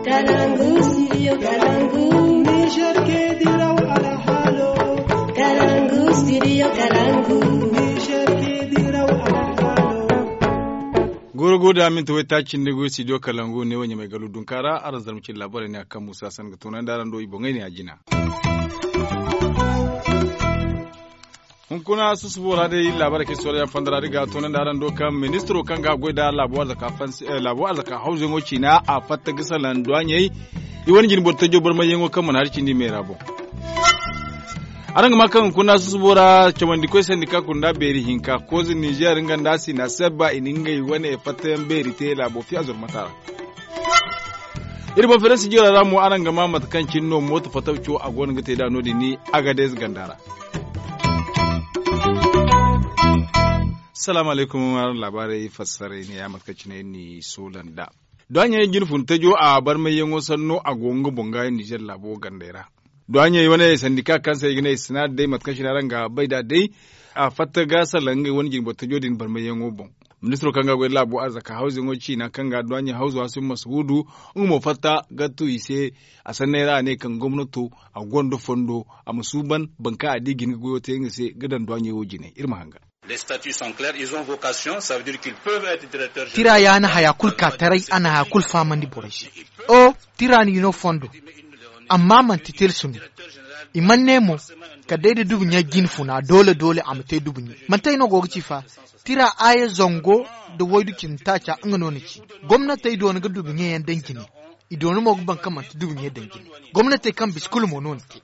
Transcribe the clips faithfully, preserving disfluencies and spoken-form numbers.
Kalangu, studio Kalangu. Niger ke diraw alhalo. Kalangu, studio Kalangu. Niger ke diraw alhalo. Goro goro da minti wai taaci nda goy studio Kalangu ne wai ɲamay galu dunkaara araŋ zarma cine laabaarey ne a kaŋ musa san ga toonandi araŋ do i boŋey ne a jina. Hunkuna susubo ra day laabaarey kaŋ ay soola yaŋ fonda ra da ga toonandi araŋ do kaŋ ministiro kaŋ ga a goy nda laabo arzaka hawzuyaŋo ciina a fatta ga salaŋ duwaaɲey i wane jine boro tajo barmayyaŋo kaŋ mana hari cindi meera boŋ. Araŋ ga maa kaŋ hunkuna susubo ra cawandi koy sandika kunda beeri hinka kooze ninzeer nga nda sina sebba i na ngey wane fattayaŋ beeri te laabo fiya zurmata ra. Iri boŋ ferensi jira ra mo araŋ ga maa mate kaŋ cine no mooto fatabco a go no ga te nd'a no- din ni agadez ganda ra. Salaamu alaykum. Araŋ laabaarey fassaray ne ya mate kaŋ cine iri n'i soola nd'a. Duwaaɲey jine fun tajo a barmayyaŋo sanno a go nga boŋ ga ninzeer laabo gandey ra. Duwaaɲey wane sandika kaŋ se i ga ne i sina day mate kaŋ cine araŋ ga bay nd'a day a fatta ga salaŋ ngey wane jine boro tajo din barmayyaŋo boŋ. Ministiro kaŋ ga a goy nda laabo arzaka hawzuyaŋo ciina kaŋ ga duwaaɲey hawzu hasim masuhuudu nga mo fatta ga tu i se. A sanney ra a ne kaŋ gomnato a gonda fondo a ma suuban boro kaŋ a di ga hin ga goyo te nga se ga daŋ duwaaɲey wo jine iri ma hangan. Tira ya na haya kulu ka taray a na haya kulu fahamandi borey se. O tira no i no fondo. Amma manti tilsu no. I mana ne mo kala day da dubu ɲey jine funa doole doole a ma te dubu ɲey manti ay no go ga ci fa. Tira aaya zango nda waydu cindi taaca nga no na ci. Gomnatey doona ga dubu ɲey yaŋ daŋ jine. I doona mo ga baŋ kaŋ manti dubu ɲey daŋ jine. Gomnatey kaŋ bisa kulu mo no na te.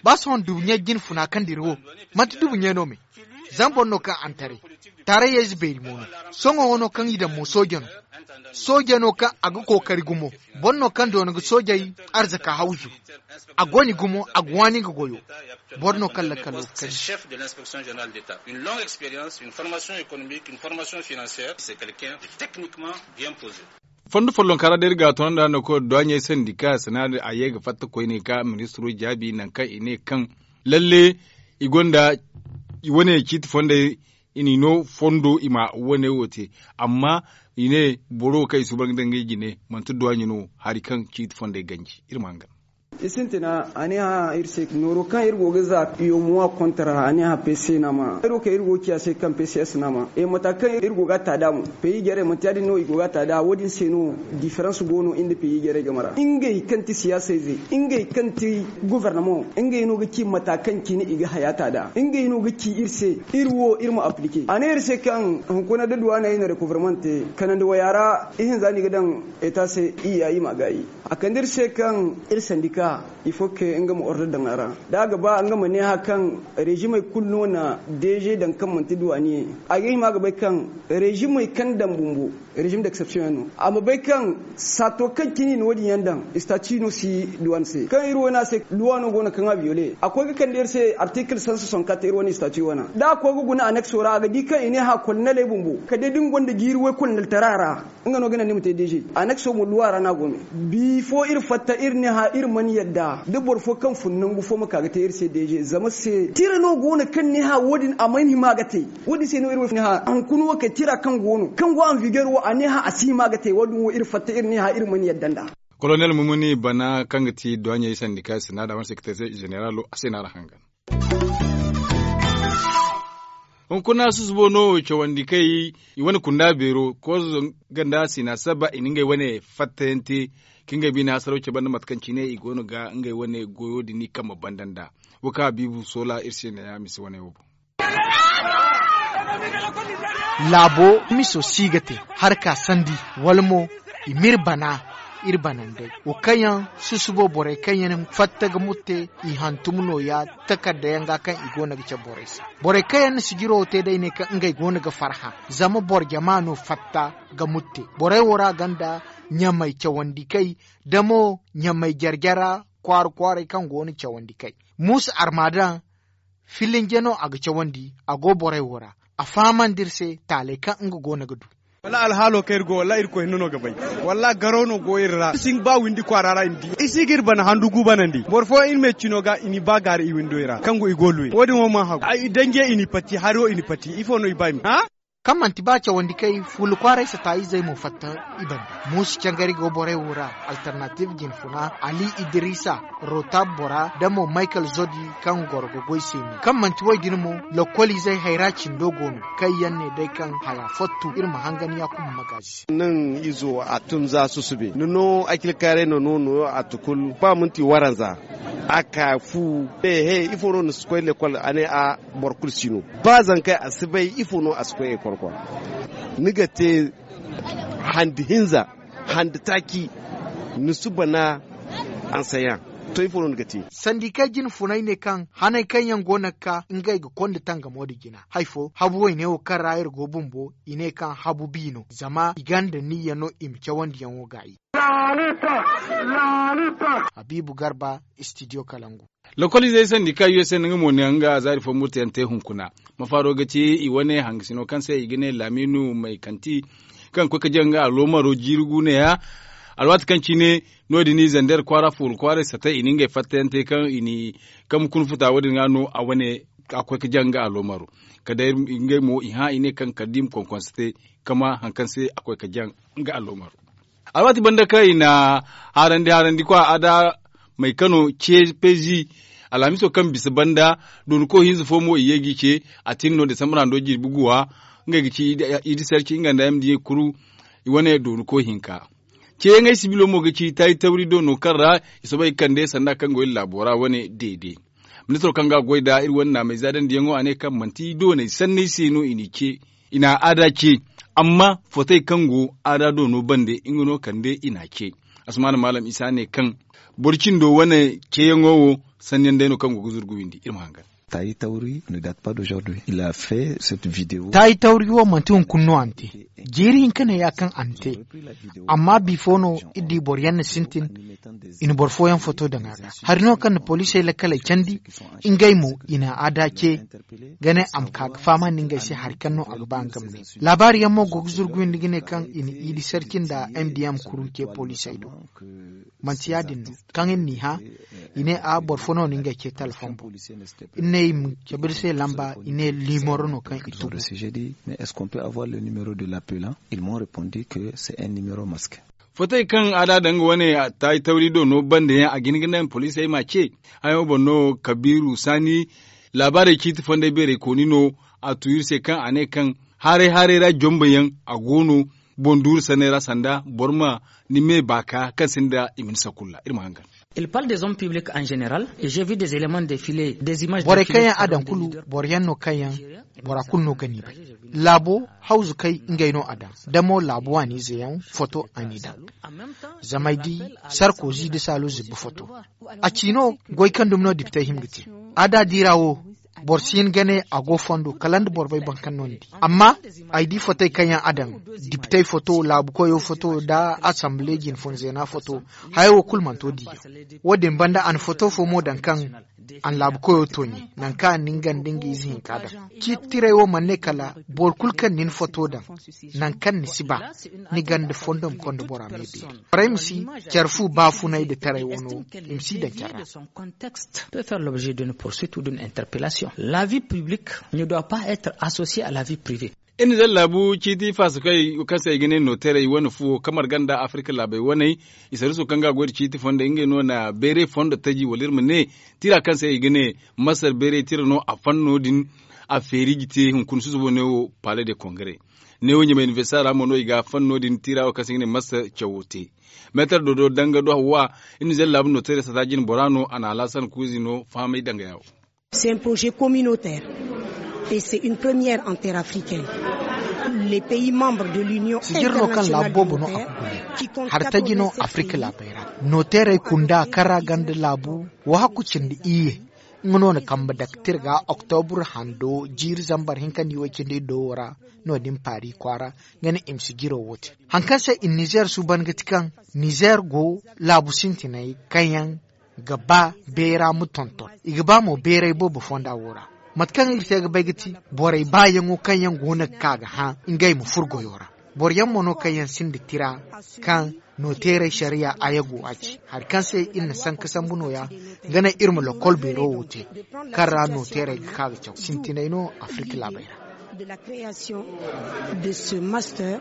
Ba sohõ dubu ɲey jine funa kaŋ dira wo manti dubu ɲey no me. Zama boro no kaŋ a na taray. Taarayey ze beeri mo no. Sohõ wo no kaŋ i daŋ mo sooje no. Sooje no kaŋ a ga kookari gumo. Boro no kaŋ doona ga soojey arzaka hawzu. A go ni gumo a ga waani nga goyo. Boro no kaŋ lakkalo ga kani. Fondo follonka ra day iri ga a toonandi araŋ no kaŋ duwaaɲey sandika sanaari a ye ga fatta koyne ga ministiro jaabi nangu kaŋ i ne kaŋ lalle i gonda i wane ciiti fondey i n'i no fondo i ma wane wo te. Amma i ne boro wo kaŋ i suuban ga daŋ ngey jine manti duwaaɲe no hari kaŋ ciiti fondey ganji iri ma hangan. I sintina a ne hã iri se nooro kaŋ iri go ga za yomuwa kontra a ne hã pc nama iri wo kaŋ iri go ga ci a se kaŋ pcs nama e mata kaŋ iri go ga a ta da mo. Peyi jarey manti ya- din no i go ga a ta da wo- din se no. Diferans go no iri nda peyi jarey game ra ngey kaŋ ti siyaasey ze ngey kaŋ ti gobornamaŋo ngey no ga ci mata kaŋ cine i ga haya ta da ngey no ga ci iri se. Iri wo iri ma aplike a ne iri se kaŋ hunkuna da duwaaney na rekoverman te kanandi waya ra. Ihinza no i ga daŋ eta se i ya i ma gaayi. A kande iri se kaŋ iri sandika ifo ke nga ma ordo daŋ a ra da a ga ba nga ma ne hã kaŋ rezimey kulu no na deeze daŋ kaŋ manti duwaaniyey. A ga hima ga bay kaŋ rezimey kaŋ daŋ bumbo rezim d'exception yaŋ no a ma bay kaŋ saato kaŋ cine i na wo- din yaŋ daŋ istati no si duwaan se kaŋ iri wo no a se luwa no go no kaŋ a biyole a koy ga kande iri se artikil sansa sonkat iri wane istati wana da a koy ga guna anekso ra a ga di kaŋ i ne hã koloneley bumbo kala day da ni gonda jiiri woy koloneltara ra. Nga no ga naŋ ni ma te deeze anakso mo luwa ra no a go me. Bifo iri fatta iri ne hã iri mana yadda da boro fo kaŋ fun nangu fo ma ka ga te iri se deeze zama se tira no go no kaŋ ne hã wo- din a mana hima ga te. Wo- din se no iri wo ne hã hunkuna wo kay tira kaŋ go no kaŋ go anviger wo a ne hã a si hima ga te wo- din wo iri fatta iri ne hã iri mana yadda nd'a. Kolonel mumuni bana kaŋ ga ti duwaɲey sandika sina da wane sekreter zeneralo a se no a ra hangan. Hunkuna susubo no cawandi kay i wane kunda beero koozo ganda sina saba i na ngey wane fattayaŋ te ka ngey bine hasaraw cabe nda mate kaŋ cine i go no ga ngey wane goyo din i kambe banda nd'a. Wo kaŋ a biibu soola iri se neeya mise wane wo boŋ. Laabo miso si ga te harka sandi wala mo i m'iri bana iri banandey wo kaŋ yaŋ susubo borey kaŋ yaŋ fatta ga mutte i hantum nooya takarda yaŋ ga kaŋ i go no ga cabe borey se. Borey kaŋ yaŋ na sijiro wo te day ne kaŋ ngey go no ga farhã zama boro jama no fatta ga mutte borey wo ra gonda ɲamay cawandi kay da mo ɲamay jare jara kwaara kwaaray kaŋ go no cawandi kay muusa armadan filinje no a ga cawandi a go borey wo ra. A fahamandi iri se taaley kaŋ nga go no ga du. Wallaahi alhaalo kaŋ iri go wallaahi irkoy hinne no ga bay. Wallaahi garaw no go iri ra iri si hin ga ba windi kwaara ra i ma di iri si ga iri bana handu gu banandi boro fooyaŋ iri me cino ga i n'i ba gaari i windoy ra kaŋ go i go luwe wo- din wo mana hagu ay danje i n'i pati hari wo i n'i pati ifo no i ba i ma hã. Kaŋ manti ba cawandi kay fuula kwaaray sata izey mo fatta i banda. Muusu cangari go borey wo ra, alternative jinfuna ali idiriisa, rotab bora da mo michael zodi, kaŋ goro ga goy se no kaŋ manti wo- din mo. Lokkol izey hayra cindo go no kaŋ yaŋ ne day kaŋ haya fottu iri ma hangan yakuba magaazi se. Naŋ izo a tun za susube ni no akilkaaray no no no a tukul ba minti waranza. A ka fu he ifo no ni si koy lekkol a ne a boro kulu si no. Ba zankey a si bay ifo no a si koy lekkol kwa. Ni ga te handi hinza, handi taaci, ni si bana. Ansayaŋ to ifo no ni ga te. Sandikey jinfunay ne kaŋ hanay kaŋ yaŋ go no ga ka ngey ga konda tangamo nda jina hari fo habu wayne wo kaŋ ra iri go bumbo i ne kaŋ habu bi no zama i gonda niyya no i ma cawandiyaŋo gaayi. Habiibu garba, studio kalangu. Lokoliizey sandi kaŋ u se no nga mo na nga zaari fo murtayaŋ te hunkuna. Mafaaro ga ci i wane hangasino kaŋ se i ga ne laamiinu may kanti, kaŋ ga koy ga jaŋ nga aloomaro jiiri gu neeya. Alwaati kaŋ cine no- din i zander kwaara fuuru kwaaray sata i na ngey fattayaŋ te kaŋ i na kaŋ ma kuna futa wo- din ga no a wane a ga koy ga jaŋ nga aloomaro. Kala day ngey mo i hã i ne kaŋ kala da i ma konkonse te kama hari kaŋ se a koy ga jaŋ nga aloomaro. Alwaati banda kaŋ i na haarandi haarandi kwa a da maykano ce peezi. Alhamiso kaŋ bisa banda dooni koy hinza fo mo i ye g'i ce. A tin no desambar hando jirbi guwa ngey ga ci idi sarci nga nda yamdi ye kuru. I wane dooni koy hinka ceeyaŋey sibilo mo ga ci taayi tawri do no kaŋ ra i soobay ga kande sanda kaŋ go iri laabo ra wane deede. Ministiro kaŋ ga a goy nd'a iri wane naamey zaadandiyaŋo a ne kaŋ manti dooney sanney se no i n'i ce. I na aada ce. Amma fotey kaŋ go aada doono bande nga no kande i n'a ce. Asmaana maalam isa ne kaŋ boro cindo wane ceeyaŋo wo sanniyaŋ day no kaŋ go ga zurgu windi iri ma hangan. Taayi tawri ne date pas d'aujourd'hui il a fait cette video. Taayi tawri wo manti hunkuna no a na te. Jiiri hinka ne ya kaŋ a na te. Amma bifo no iri di boro yaŋ na sintin i na boro fooyaŋ foto daŋ a ga hari no kaŋ na poliisey lakkaley candi. Ngey mo i na a da ce ga ne a ma ka ga fahamandi ngey se hari kaŋ no a ga ba nga ma ne. Laabaari yaŋ mo go ga zurguyandi ga ne kaŋ i na iidi sarci nda m d m kuru ce poliisey do. Manti ya- din no kaŋ iri n'i hã i ne a boro fo no na ngey ce telefoŋ boŋ. Iri ne i ma cabe iri se lamba i ne limoro no kaŋ i tugu. Mais est ce qu'on peut avoir le numéro de l'appelant? Ils m'ont répondu que c'est un numéro masque. Fotey kaŋ a da daŋ nga wane taayi tawri do no bande yaŋ a ga hin ga naŋ poliisey m'a ce. Hayaŋo boŋ no kabiiru saani laabaarey ciiti fondey beerey kooni no. A tu iri se kaŋ a ne kaŋ haaray haaray ra jomba yaŋ a go no boŋ duuru sanney ra sanda boro ma ni me baaka kaŋ sinda i ma ni sakulla iri ma hangan. Il parle des hommes publics en général et j'ai vu des éléments défiler des images borey kaŋ yaŋ a daŋ kulu boro yaŋ no kaŋ yaŋ bora kulu no ga ni bay. Laabo hawzu kay ngey no a daŋ da mo laabu waaniize yaŋ foto a n'i daŋ. Zama ay di sarkozi da saalu zibba foto. A ci no goy kaŋ dumi no dipitey hima ga te. A da diira wo boro si hin ga ne a go fondo kala nda boro bay boro kaŋ no ni di. Amma ay di fotey kaŋ yaŋ a daŋ dipitey foto laabu koyo foto nda asambile jinfun zeena foto. Haya wo kulu mana to diiyaŋ. Wo- din banda a na foto fo mo daŋ kaŋ a na laabu koyo tooɲe nangu kaŋ a na nga nda nga ize hinka daŋ. Ciiti tirey wo mana ne kala boro kulu kaŋ na ni foto daŋ nangu kaŋ ni si ba ni ganda fondo ma konda bora me beeri. Borey ma si care fu baafunay nda taray wano i ma si daŋ care ra. Peut faire l'objet d'une poursuite ou d'une interpellation. La vie publique ne doit pas être associée à la vie privée. Iri na zalla laabu ciiti faasakey kaŋ se i ga ne nooteerey wane fuwo kaŋ marga nda afirka laabey waney. I sarruso kaŋ ga a goy nda ciiti fondey ngey no na beeray fondo taji wala iri ma ne tira kaŋ se i ga ne masar beeray tira no a fanno din. A feeri ga te hunkuna susubo ne wo paale de kongare. Ne wo ɲamay inibersita ra mo no i ga a fanno din tira wo kaŋ se i ga ne masar cawo te. Meetar dodo danga do hawa. Iri na zalla laabu nooteerey sata jine bora no a na alaasan kuuzi no fahamay danga yawo. C'est un projet communautaire et c'est une première en terre africaine. Les pays membres de l'union sijir no kaŋ laabu boobo no a internationale de kugu ne notaires qui compte hari taji no quatre-vingt-sept afirka pays. Laabey ra nooteerey kunda kaŋ ra ganda laabu wo hakku cindi iyye. Nga no na kambe daktir ga oktobur hando jiiri zambar hinka nda iway cindi iddo wo ra. No- din paari kwaara nga ne i ma sijiro wo te. Hari kaŋ se i na nizeer suuban ga ti kaŋ nizeer go laabu sintiney kaŋ yaŋ ga ba beera ma tonton. I ga ba mo beeray boobo fonda wo ra. Mate kaŋ iri te ga bay ga ti borey baayaŋo kaŋ yaŋ go no ga ka ga hã ngey ma furo goyo ra. Boro yaŋ mo no kaŋ yaŋ sinda tira kaŋ nooteerey sariya aya go a ci hari kaŋ se iri na sanka sambu nooya. Ga naŋ iri ma lokol beero wo te kaŋ ra nooteerey ga ka ga caw sintinay no afirka laabey ra. De la création de ce master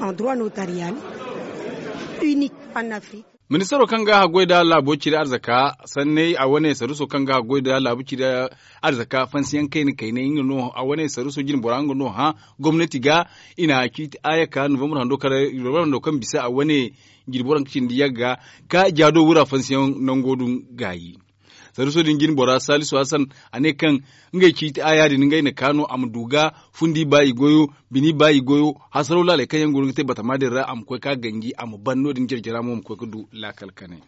en droit notarial unique en Afrique. Ministaro kaŋ ga haggoy nda laabo ciri arzaka sanney a wane saruso kaŋ ga haggoy nda laabo ciri arzaka fansiyaŋ kayna kaynay nga no a wane saruso jinbora nga no hã gomnati ga i na ciiti aya ka novembre hando kaŋ bisa a wane jirbi waranka cindi yagga ka jaado wura fansiyaŋ nango du gaayi. Saruso din jinbora salisu hasan a ne kaŋ ngey ciiti aya din ngey na ka no a ma du ga fundi ba i goyo bini ba i goyo hasaraw laaley kaŋ yaŋ go no ga te batama din ra a ma koy ka ganji a ma ban no- din jarjara mo ma koy ga du laakal kanay.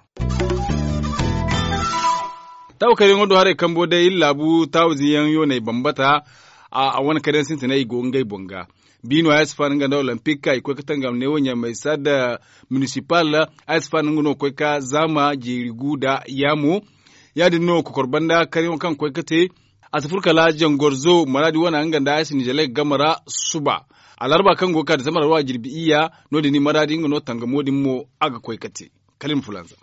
Taawakariyaŋo do haray kambo day iri laabu taawaziyaŋ yooney bambata a wane kar yaŋ sintinay i go ngey boŋ ga. Biino ay si faani nga nda olimpik i koy ga tangam neewo ɲamey saada munisipal ay si faani nga no ga koy ga zaama jeeri gu nda yaamo. Ya- din no kokor banda karyaŋo kaŋ ga koy ga te a si furo kala jangorzo maraadi wane nga nda ay si nizeley ga game ra suba. Alarba kaŋ go ga ka disambar wa jirbi iyya no- din i maraadi nga no tangamo din mo a ga koy ga te. Kala iri ma fulanza.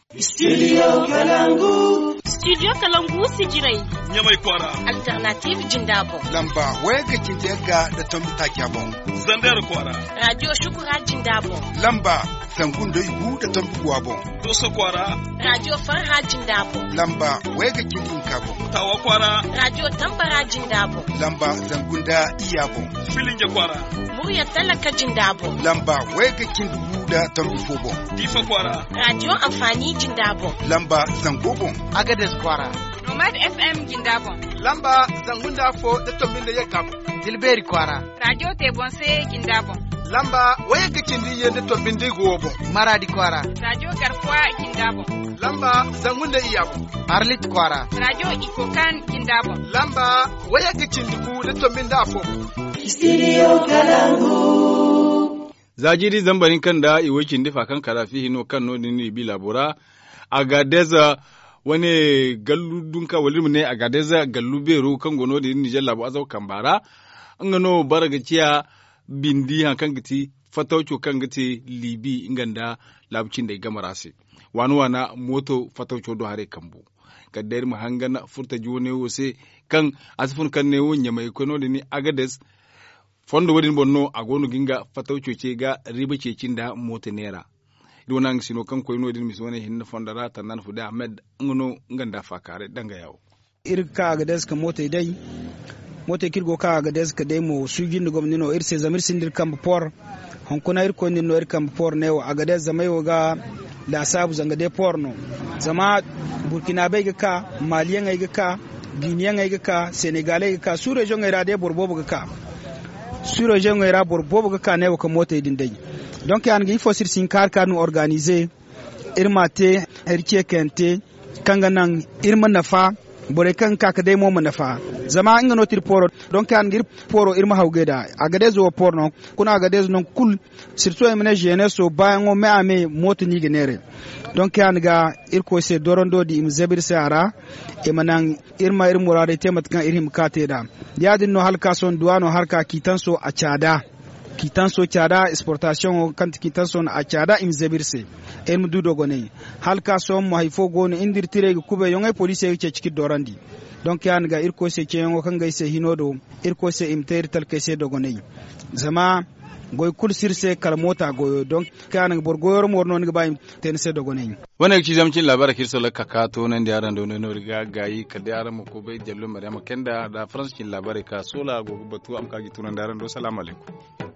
Studio kalangu si jiray ɲamay kwaara. Alternative jinda boŋ. Lamba wayagga cindi yagga nda tombi taaca boŋ. Zander kwaara. Radio shukura jinda boŋ. Lamba zangu nda igu nda tombi guwa boŋ. Doso kwaara. Radio farha jinda boŋ. Lamba wayagga cindi hinka boŋ. Tawa kwaara. Radio tambara jinda boŋ. Lamba zangu nda iyya boŋ. Filinge kwaara. Murya talaka jinda boŋ. Lamba wayagga cindi gu nda tombi fo boŋ. Diifa kwaara. Radio amfani jinda boŋ. Lamba zango boŋ. Agades kwaara. Nomad FM jinda boŋ. Lamba zangu nda afo nda tombi nda yagga boŋ. Dilbeeri kwaara. Radio te boŋ se jinda boŋ. Lamba wayagga cindi iyye nda tombi nda igu wo boŋ. Maraadi kwaara. Radio garkuwa jinda boŋ. Lamba zangu nda iyya boŋ. Arlit kwaara. Radio ikokan jinda boŋ. Lamba wayagga cindi gu nda tombi nda afo boŋ. Studio kalangu. Za jiiri zambar hinka nda i way cindi fa kaŋ karafi hino kaŋ no- din no i bi laabo ra. Agadez wane gallu dunka wala iri ma ne agadez gallu beero kaŋ go no- din nizer laabo azaw kamba ra. Nga no bara ga ciya bindi hari kaŋ ga ti fatawco kaŋ ga te liibi nga nda laabu cindey game ra se. Waana waana mooto fatawco do haray kambu. Kala day iri ma hangan furtaji wane wo se kaŋ a si fun kaŋ ne wo ɲamay ga koy no- din agades. Fondo wo- din boŋ no a go no ga nga fatawco ce ga riiba ceeci nda mooto neera. Iri wane haŋ ga sino kaŋ koy no- din misi wane hinne fondo ra tannaan fude ahmed nga no nga nda faakaaray danga yaawo. Iri ga ka agades ga mootey day. Mootey kaŋ iri go ga ka agades ga day mo suuji nda gomni no iri se zama iri sinda iri kambe poor. Hunkuna iri koy no iri kambe poor ne wo agades zama ay wo ga laasaabu zanga day poor no. Zama burkina bay ga ka, maaliyaŋey ga ka, giiniyaŋey ga ka, senegaley ga ka suureziyoŋey ra day boro boobo ga ka. Suureziyoŋey ra boro boobo ga ka ne wo ga mootey din day. Donk ya- din ga ifo se iri si hin kaari kaari no organize. Iri ma a te hari ce kayante kaŋ ga naŋ iri ma nafa. Borey kaŋ ga ka ga day mo ma nafa. Zama nga no ti iri pooro donk ya- din ga iri pooro iri ma hawgay nd'a. Agades wo pooro no kuna agades nangu kulu sirtu ay ma ne zeneso baayaŋo me a me mooto no i ga neeray. Donk ya- din ga irkoy se dorando din i ma zabu iri se a ra. I ma naŋ iri ma iri muraadey te mate kaŋ iri hima ka te nd'a. Ya- din no hala ka sohõ duwaano hala ka kiitanso a caada. Kiitanso caada esportasiyoŋo kaŋ ti kiitanso no a caada i ma zabu iri se. Iri ma du dogonay hala ka sohõ mo hari fo go no iri nda iri tirey ga kubay yoŋey poliisey ga ceeci ka iri doorandi. Donk ya- din ga irkoy se ceeyaŋo kaŋ ga ay se hino do. Irkoy se i ma te iri talkey se dogonay. Zama goy kulu si iri se kala moota goyo donk ya- din ga boro goyo ra mooro no ni ga ba i ma te ni se dogonay. Wane ga ci zama cin laabaarey kaŋ iri sohõ ga ka ka toonandi araŋ do no iri ga gaayi kala day araŋ ma koy bay jallo maryama kenda nda faransa cin laabaarey ka soola a go ga batu a ma ka ga i tunandi araŋ do salaamu alaykum.